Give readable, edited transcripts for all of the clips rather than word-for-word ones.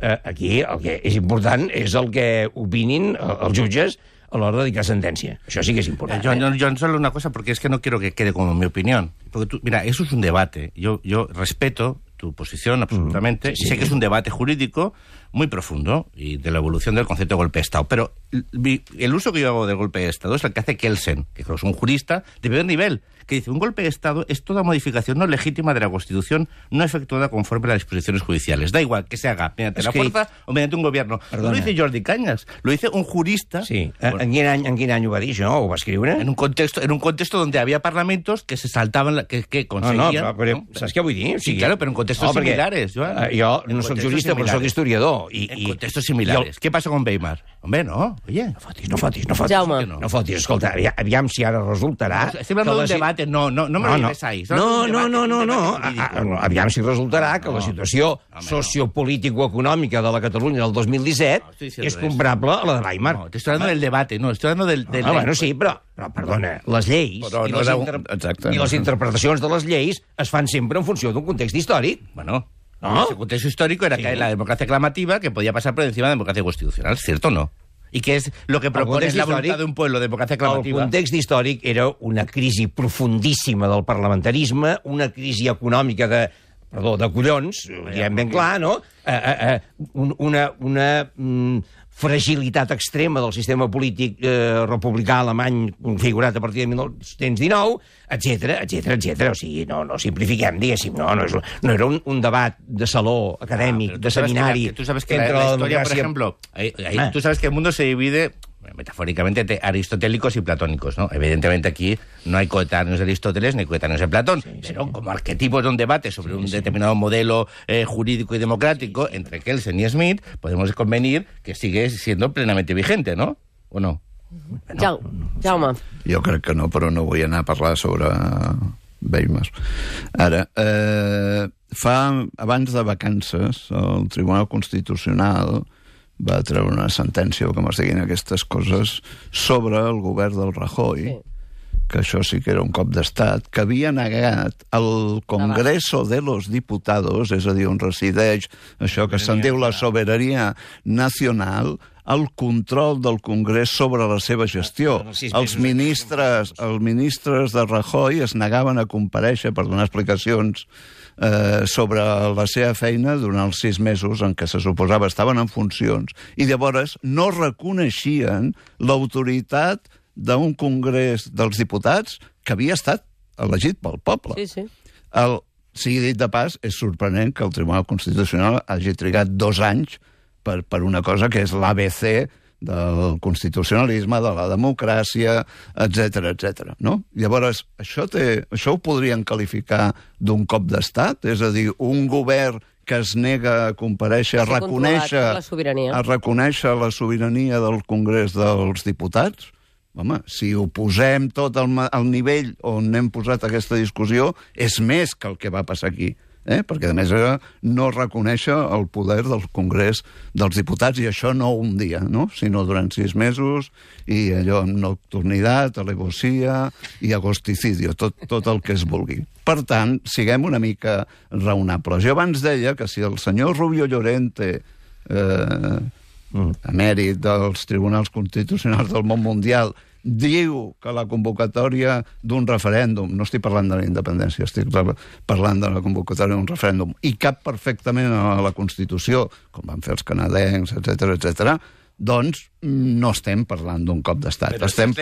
aquí el que és important és el que opinin els jutges a l'hora de dictar sentència. Això sí que es important. Yo solo una cosa, porque es que no quiero que quede como mi opinión. Porque mira, eso es un debate. Yo respeto tu posición absolutamente. Sí. Sé que es un debate jurídico muy profundo y de la evolución del concepto de golpe de Estado. Pero el uso que yo hago del golpe de Estado es el que hace Kelsen, que es un jurista de primer nivel, que dice: un golpe de Estado es toda modificación no legítima de la Constitución no efectuada conforme a las disposiciones judiciales. Da igual que se haga mediante la fuerza o mediante un gobierno. Perdona. No lo dice Jordi Cañas, lo dice un jurista. Sí. Bueno, en quin any ho va dir, això? Ho va escriure? En un contexto donde había parlamentos que se saltaban, que conseguían... No, però saps què vull dir? O sigui, sí, claro, pero en contextos similares. Jo no soc jurista, però soc historiador. En contextos similares. ¿Qué pasa con Weimar? Hombre, no, oye. No fotis. Jaume. No fotis, escolta, aviam si ara resultarà... Estem hablando d'un debate, no me lo digáis. No. Aviam si resultarà que la situació sociopolítico-econòmica de la Catalunya del 2017 és comparable a la de Weimar. No, te estoy hablando del debate, no, estoy hablando del... Bueno, sí, però perdona, les lleis i les interpretacions de les lleis es fan sempre en funció d'un context històric. Bueno, ¿no? Ese contexto histórico era que la democracia aclamativa que podía pasar por encima de la democracia constitucional, ¿cierto o no? ¿Y qué es lo que propone es la voluntad de un pueblo, democracia aclamativa? El context històric era una crisi profundíssima del parlamentarisme, una crisi econòmica de collons, ho diem ben clar, no? Una fragilitat extrema del sistema polític republicà alemany configurat a partir de 1919, etc. O sigui, no simplifiquem, diguéssim, no era un debat de saló acadèmic, de seminari... Tú sabes que la historia, por ejemplo, tú sabes que el mundo se divide... metafóricamente, entre aristotélicos y platónicos, ¿no? Evidentemente aquí no hay coetáneos de Aristóteles ni coetáneos de Platón, pero como arquetipos de un debate sobre un determinado modelo jurídico y democrático entre Kelsen y Smith, podemos convenir que sigue siendo plenamente vigente, ¿no? ¿O no? Jaume. Jo crec que no, però no vull anar a parlar sobre Weimar. Ara, abans de vacances, el Tribunal Constitucional va treure una sentència, o com es diguin aquestes coses, sobre el govern del Rajoy, que això sí que era un cop d'estat, que havia negat al Congreso de los Diputados, és a dir, on resideix això que se'n diu la sobirania nacional, el control del Congrés sobre la seva gestió. Els ministres de Rajoy es negaven a comparèixer per donar explicacions sobre la seva feina durant els 6 mesos en què se suposava estaven en funcions, i llavors no reconeixien l'autoritat d'un Congrés dels Diputats que havia estat elegit pel poble. Sí. Sigui dit de pas, és sorprenent que el Tribunal Constitucional hagi trigat 2 anys per una cosa que és l'ABC del constitucionalisme, de la democràcia, etc. No? Llavors, això ho podrien qualificar d'un cop d'estat? És a dir, un govern que es nega a comparèixer, a reconèixer la sobirania del Congrés dels Diputats? Home, si ho posem tot al nivell on hem posat aquesta discussió, és més que el que va passar aquí. Perquè, a més, no reconèixer el poder del Congrés dels Diputats, i això no un dia, no? Sinó durant 6 mesos, i allò amb nocturnitat, alevosía i agosticidio, tot el que es vulgui. Per tant, siguem una mica raonables. Jo abans deia que si el senyor Rubio Llorente, emèrit dels tribunals constitucionals del món mundial, diu que la convocatòria d'un referèndum, no estic parlant de la independència, estic parlant de la convocatòria d'un referèndum, i cap perfectament a la Constitució, com van fer els canadencs, etc., doncs no estem parlant d'un cop d'estat. Estem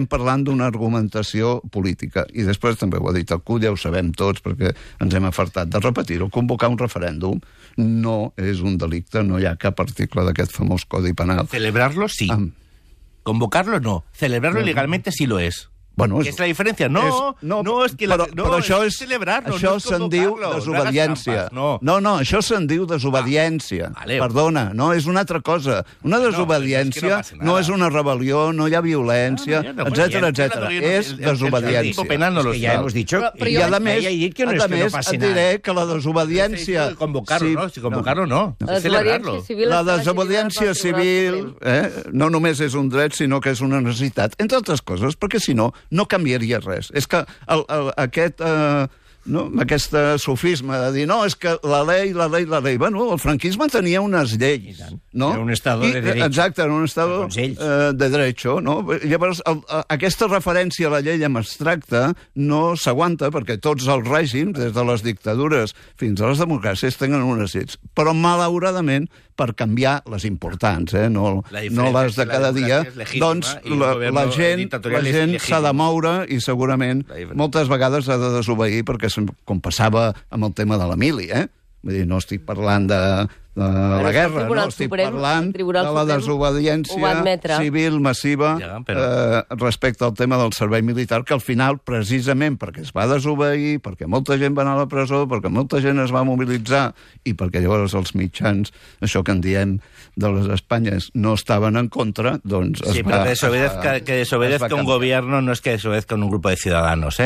parlant d'una argumentació política. I després també ho ha dit el CUT, ja ho sabem tots, perquè ens hem afartat de repetir-ho. Convocar un referèndum no és un delicte, no hi ha cap article d'aquest famós Codi Penal. Celebrarlo sí. Convocarlo no. Celebrarlo legalmente sí lo es. Bueno, ¿qué es la diferencia? No, es que però això és celebrarlo. Això se'n diu desobediència. No, això se'n diu desobediència. Perdona, no, és una altra cosa. Una desobediència no és una rebel·lió, no hi ha violència, etc. És desobediència. Ja hemos dicho. I a més, et diré que la desobediència... Convocarlo no. Celebrarlo. La desobediència civil no només és un dret, sinó que és una necessitat. Entre altres coses, perquè si no, no canviaria res. És que aquest no? Aquest sofisme de dir, no, és que la ley... Bueno, el franquisme tenia unes lleis, no? Era un estado de derecho. Exacte, era un estado de derecho, no? Llavors, aquesta referència a la llei en abstracte no s'aguanta perquè tots els règims, des de les dictadures fins a les democràcies, tenen unes lleis. Però, malauradament, per canviar les importants, no les de cada dia, doncs la gent s'ha de moure i segurament moltes vegades ha de desobeir perquè, com passava amb el tema de la mili, Vull dir, no estic parlant de la guerra, no estic parlant de la desobediència civil massiva respecte al tema del servei militar, que al final, precisament perquè es va desobeir, perquè molta gent va anar a la presó, perquè molta gent es va mobilitzar i perquè llavors els mitjans, això que en diem de les Espanyes, no estaven en contra, doncs es va... Sí, pero que desobedezca un gobierno no es que desobedezca un grupo de ciudadanos,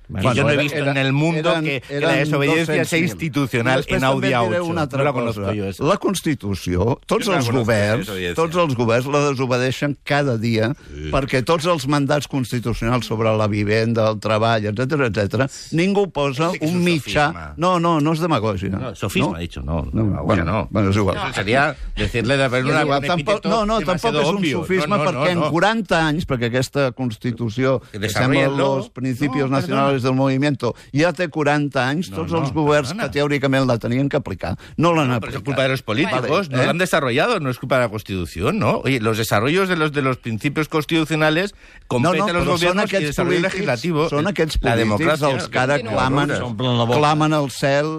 Bueno, yo no he visto en el mundo que la desobediencia sea institucional en Audi A8. No la conozco yo. La Constitució, tots els governs la desobedeixen cada dia perquè tots els mandats constitucionals sobre la vivenda, el treball, etc, ningú posa un mitjà... No és demagògia. No, sofisma, ha dicho. No. Bueno, és igual. Sería decirle de haber un epíteto No, tampoc és un sofisma perquè en 40 anys, perquè aquesta Constitució que sembla los principios nacionales del movimiento ya té 40 anys, tots els governs que teòricament la tenien que aplicar no l'han aplicat. Pero es culpa de los políticos, no la han desarrollado, no es culpa de la Constitución, ¿no? Oye, los desarrollos de los principios constitucionales competen a los gobiernos y el desarrollo legislativo. Són aquests polítics els que ara clamen al cel